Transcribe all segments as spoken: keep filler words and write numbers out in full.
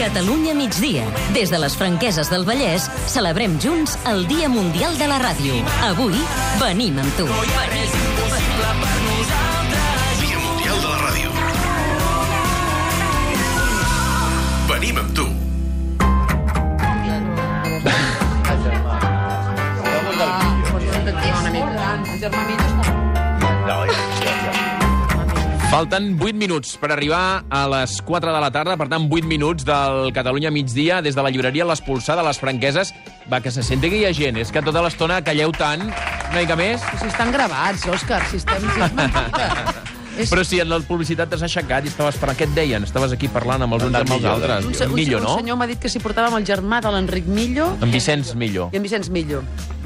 Catalunya migdia. Des de les Franqueses del Vallès, celebrem junts el Dia Mundial de la Ràdio. Avui, venim amb tu. Dia Mundial de la Ràdio. Venim amb tu. Falten vuit minuts per arribar a les quatre de la tarda, per tant, vuit minuts del Catalunya migdia, des de la llibreria L'Espolsar de les Franqueses. Va, que se senti que hi ha gent. És que tota l'estona calleu tant, una mica més. Si estan gravats, Òscar, si estem... Si és mentida. És... Però si en la publicitat t'has aixecat i estaves parlant, què et deien? Estaves aquí parlant amb els uns i amb els altres. Un, un, Millo, un, no? un senyor m'ha dit que si portàvem el germà de l'Enric Millo... En Vicenç Millo. I en Vicenç Millo.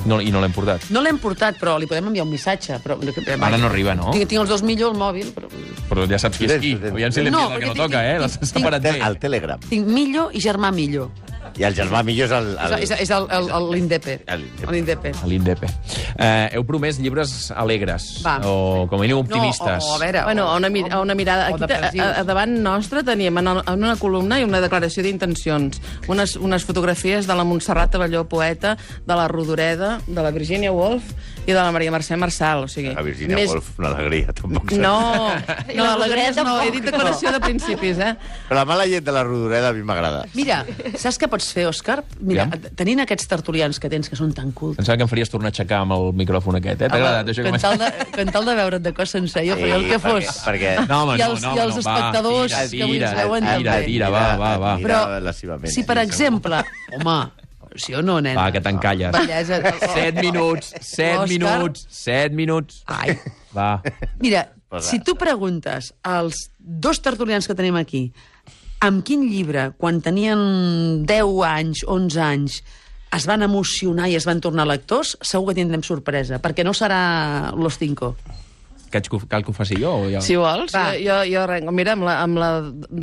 No, I no l'hem portat. No l'hem portat, però li podem enviar un missatge. Però... Ara no arriba, no? Tinc, tinc els dos Millo al mòbil, però... Però ja saps qui és qui. Aviam si l'hem No, dit el que no perquè toca, tinc- eh? L'has tinc- separat bé. Al Telegram. Tinc Millo i germà Millo. I el germà millor és el... el... És, és, és el, el, el, l'Indepe. El- L'Indepe. A l'Indepe. Eh, heu promès llibres alegres, Va. o com a mínim optimistes. No, o, o a veure... Bueno, o, a una, mir a una mirada... o Aquí, a, depressius. a davant nostre teníem en, el, en una columna i una declaració d'intencions. Unes, unes fotografies de la Montserrat Abelló, poeta, de la Rodoreda, de la Virginia Woolf i de la Maria Mercè Marçal. O sigui, La Virginia més... Woolf, una alegria, tampoc. No, I no, la alegries Rodoreda no, he tampoc. dit declaració de principis, eh? Però la mala llet de la Rodoreda a mi m'agrada. Mira, saps què pots fer, Òscar? Mira, Aviam. tenint aquests tertulians que tens, que són tan cults, Pensava que em faries tornar a aixecar amb el micròfon aquest, eh? T'ha agradat això que que m'has... tal de, que tal de veure't de cos sencer, jo faria el que fos. Perquè... No, home, I no, els- no, i els no, va, espectadors tira, que avui ens tira, veuen tira, també. tira, va, va, va. Però, Però, si per exemple... Home, sí o no, nen? Va, que t'encalles. Bellesa. Set minuts, set Òscar. minuts, set minuts. Ai. Va. Mira, Posa. si tu preguntes als dos tertulians que tenim aquí amb quin llibre, quan tenien deu anys, onze anys, es van emocionar i es van tornar lectors, segur que tindrem sorpresa, perquè no serà Los Cinco. Que haig que- cal que ho faci jo? O ja? Si vols, Va. jo, jo, jo arrenco. Mira, amb la, amb la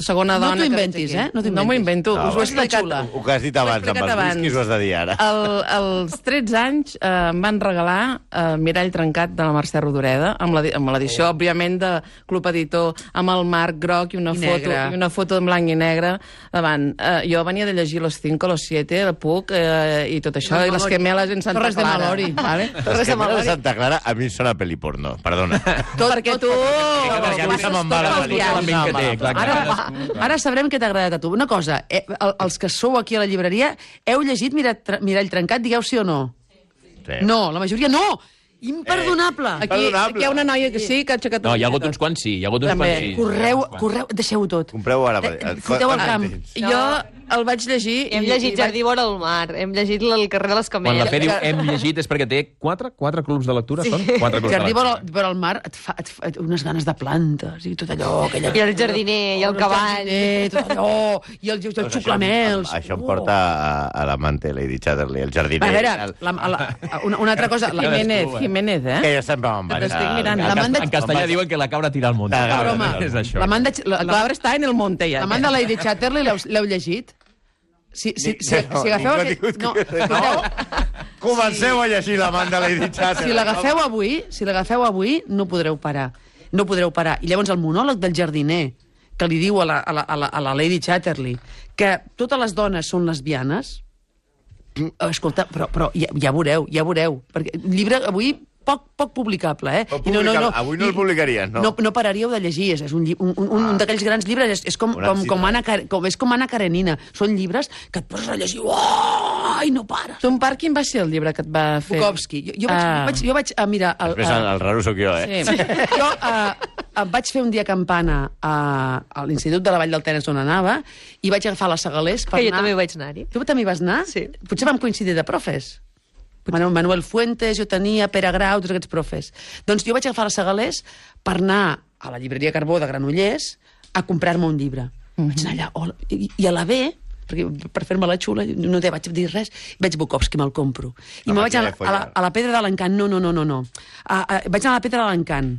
segona No dona t'ho que veig inventis, aquí. eh? No t'ho No m'ho inventis. invento, No, us ho he és la explicat. xula. El que has dit abans, amb els whisky ho has de dir ara. El, als tretze anys eh, em van regalar eh, Mirall trencat de la Mercè Rodoreda, amb l'edi- amb l'edició, oh. òbviament, de Club Editor, amb el marc groc i una, I foto, negre. i una foto en blanc i negre davant. Eh, jo venia de llegir Los Cinco, Los Siete, el Puc eh, i tot això, No, i les Malori. gemeles en Santa Torres de Clara. Malori. Vale? Les gemeles de Santa Clara a mi em sona pel·li porno, perdona. Tot, Perquè tu... Perquè a mi se me'n va la tot el pel·lícula. viatge. l'ambient que té, clar, Ara, clar. ara sabrem què t'ha agradat a tu. Una cosa, eh, el- els que sou aquí a la llibreria, heu llegit Mirall, Mirall trencat? Digueu sí o no. Sí. No, la majoria no! Imperdonable! Aquí, Perdonable. aquí hi ha una noia que sí, que ha aixecat... No, hi ha hagut una uns quants sí, hi ha hagut uns També. quants sí. Correu, Uns quants. correu, deixeu-ho tot. Compreu ara. Eh, foteu al camp. Jo el vaig llegir... Hem i- llegit i vaig- Jardí vora el mar, hem llegit el carrer de les Quan la Camelles. Fe diu hem llegit és perquè té quatre, quatre clubs de lectura, són? Quatre clubs Jardí de vora, lectura. vora el mar et fa, et fa unes ganes de plantes i tot allò. Aquella... I el jardiner, i el cavall. jardiner, tot allò, i el, i el xuclamels. Això em porta a, a l'amante Lady Chatterley, el jardiner. A veure, el... la, la, una, una altra cosa... La, Jiménez, Jiménez, eh? Que ja sempre me'n vaig. T'estic mirant. En, La cas- Manda- en castellà diuen que la cabra tira al monte. La cabra tira al És això. la manda, la, La la, cabra està en el monte, ja. la manda Lady Chatterley l'heu l'heu llegit? Si, si, si, No, si agafeu... ningú ha aquest- tingut No, que- escolteu, Comenceu a llegir l'amante Lady Chatterley. si l'agafeu avui, si l'agafeu avui, no podreu parar. No podreu parar. I llavors el monòleg del jardiner, que li diu a la, a la, a la, a la Lady Chatterley que totes les dones són lesbianes, escolta, però, però ja, ja veureu, ja veureu. Perquè el llibre avui poc, poc publicable, eh? Poc I no, no, no, publicable. Avui no el i- publicaries, no? No, no pararíeu de llegir, és, és un, lli- un, un, un, un d'aquells grans llibres, és, és com, Un com, accident. com, Anna, Car- com, és com Anna Karenina. Són llibres que et poses a llegir, oh, i no pares. Ton pare, quin va ser el llibre que et va fer? Bukowski. Jo, jo, vaig, Ah. jo vaig, jo vaig a mirar... El, Després el, el raro sóc jo, eh? Sí. jo uh, vaig fer un dia campana a, a l'Institut de la Vall del Tenes on anava i vaig agafar la Segalés per Que jo anar... també vaig anar-hi. Tu també hi vas anar? Sí. Potser vam coincidir de profes. Manuel, Manuel Fuentes, jo tenia, Pere Grau, tots aquests profes. Doncs jo vaig agafar la Segalés per anar a la llibreria Carbó de Granollers a comprar-me un llibre. Mm-hmm. Vaig anar allà, hola, i, i a la B, perquè per fer-me la xula, no te vaig dir res, veig Bukowski, me'l compro. I La me vaig màquina anar de a la, follar. a la Pedra de l'Encant, no, no, no, no, no. A, a, vaig anar a la Pedra de l'Encant.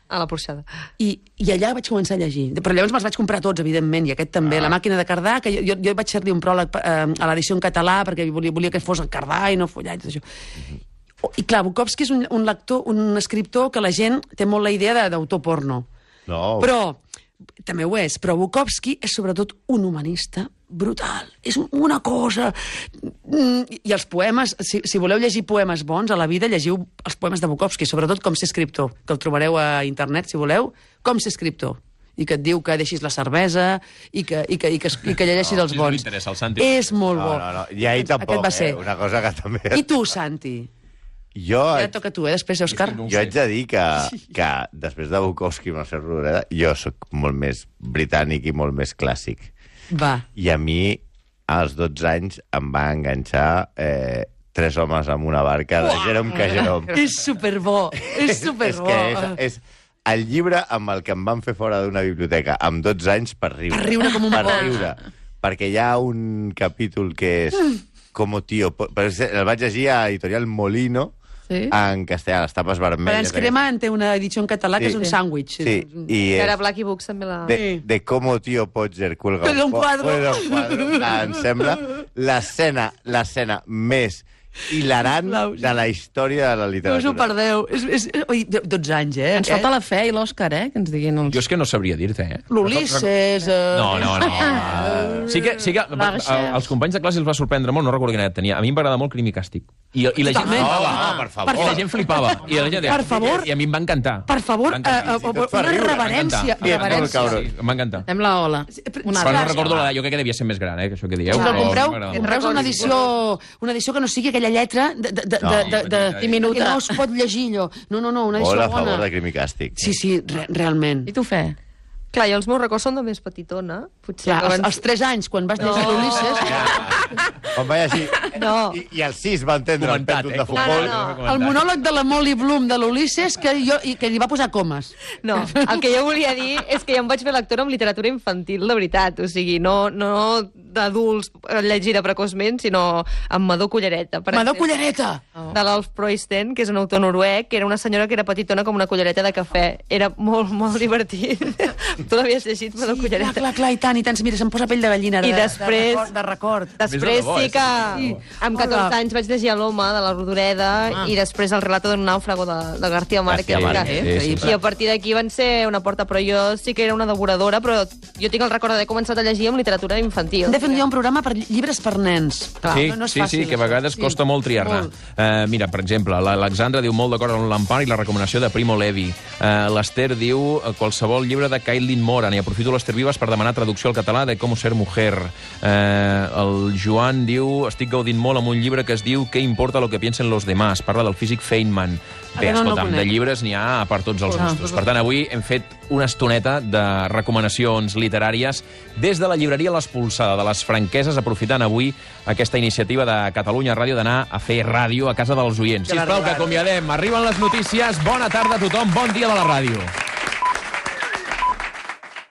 A la porxada. I, I allà vaig començar a llegir. Però llavors me'ls vaig comprar tots, evidentment, i aquest també. Ah. La màquina de Cardà, que jo, jo, jo vaig fer-li un pròleg eh, a l'edició en català, perquè volia, volia que fos el Cardà i no follar i tot això. Mm-hmm. I clar, Bukowski és un, un lector, un escriptor que la gent té molt la idea de- d'autor porno. No. Però, també ho és, però Bukowski és sobretot un humanista brutal. És una cosa... I els poemes, si, si voleu llegir poemes bons a la vida, llegiu els poemes de Bukowski, sobretot Com ser escriptor, que el trobareu a internet, si voleu, Com ser escriptor, i que et diu que deixis la cervesa i que, i que, i que, i que llegeixis No, els sí, bons. m'interessa, el Santi. És molt bo. No, no, no. I ahir Aquest tampoc, va ser. eh? Una cosa que també... I tu, Santi? Jo, Ja et toca a tu, eh, després, Òscar. no ho jo haig de dir que, que després de Bukowski i Mercè Rodoreda, jo sóc molt més britànic i molt més clàssic. Va. I a mi, als dotze anys, em va enganxar eh, Tres homes amb una barca de Jerome K. Jerome. És superbo, és superbo. És que és, és el llibre amb el que em van fer fora d'una biblioteca amb dotze anys per riure. Per riure com un Per porc. riure. Perquè hi ha un capítol que és Como tío... po- Però és- el vaig llegir a Editorial Molino, Sí. en castellà, les tapes Però vermelles. ens Cremant té una edició en català que Sí. és un sàndwich. Sí, i Que ara és Blacky Books també la... de, de Como tío Podger cuelga Cuelga un po- quadro. cuelga un quadro. Em sembla l'escena l'escena més hilarant Claus. de la història de la No us ho literatura. perdeu. És, és, oi, dotze anys, eh? Ens falta la fe i l'Òscar, eh? Que ens diguin els... Jo és que no sabria dir-te, eh? L'Ulisses... Eh... No, no, no. Sí que, sí que La a- Rachel. als companys de classe els va sorprendre molt, no recordo quina edat tenia. A mi em va agradar molt Crim i Càstig. I, i la gent Totalment. flipava. Oh, per favor. I la gent flipava. I la gent deia, Per favor. I a mi em va encantar. Per favor, Em eh, va encantar. eh, tot fa una riure, reverència. m'encanta. reverència. cabró. Sí, em va encantar. Fem la ola. Una Però no altra. recordo l'edat, jo crec que devia ser més gran, eh, que això que dieu. Si el però compreu, m'agrada molt. compreu una edició, una edició que no sigui aquella lletra de, de, de, No, de, de, de, petita. diminuta. Que no es pot llegir allò. No, no, no, una edició Molt a bona. favor de Crim i Càstig. Sí, sí, re, realment. I tu, fe? Clar, jo els meus records són de més petitona. Potser Clar, que als, abans- als tres anys, quan vas llegir No. l'Ulisses... Quan vaig així... No. I, I als sis va entendre el Comentat, pèntul eh? de futbol. No, no, El monòleg de la Molly Bloom de l'Ulisses que, jo, i que li va posar comes. No, el que jo volia dir és que jo em vaig fer lectora amb literatura infantil, de veritat. O sigui, no, no d'adults llegida precoçment, sinó amb Madó Cullereta. Per Madó exemple, Cullereta! de l'Alf Proisten, que és un autor noruec, que era una senyora que era petitona com una cullereta de cafè. Era molt, molt divertit. Tu l'havies llegit, Madó Sí, clar, Cullereta? clar, clar, i tant, i tant. Mira, se'm posa pell de gallina. I de, després- De record. De record. Després Més de debò, sí eh? que Sí. amb catorze Hola. anys vaig llegir l'Home de la Rodoreda Ah. i després el relato d'un nàufrago de, de García Márquez. García que- Márquez, sí, sí. I a partir d'aquí van ser una porta, però jo sí que era una devoradora, però jo tinc el record d'haver començat a llegir amb literatura infantil. Hem de fer un dia un programa per llibres per nens. Clar, Sí, no, no és sí, fàcil, sí, que a això. vegades Sí. costa molt triar-ne. Molt. Uh, mira, per exemple, l'Alexandra diu molt d'acord amb l'Empar i la recomanació de Primo Levi. Uh, L'Ester diu uh, qualsevol llibre de Kailin Moran, i aprofito l'Ester Vives per demanar traducció al català de Com ser mujer. Uh, el Joan diu, estic gaudint molt amb un llibre que es diu Què importa lo que piensen los demás? Parla del físic Feynman. Bé, Aquest no, no el escolta'm, de conec. llibres n'hi ha per tots els Ah. gustos. Per tant, avui hem fet una estoneta de recomanacions literàries des de la llibreria L'Espolsada de les Franqueses, aprofitant avui aquesta iniciativa de Catalunya Ràdio d'anar a fer ràdio a casa dels oients. Sisplau, que acomiadem. Arriben les notícies. Bona tarda a tothom. Bon dia de la ràdio.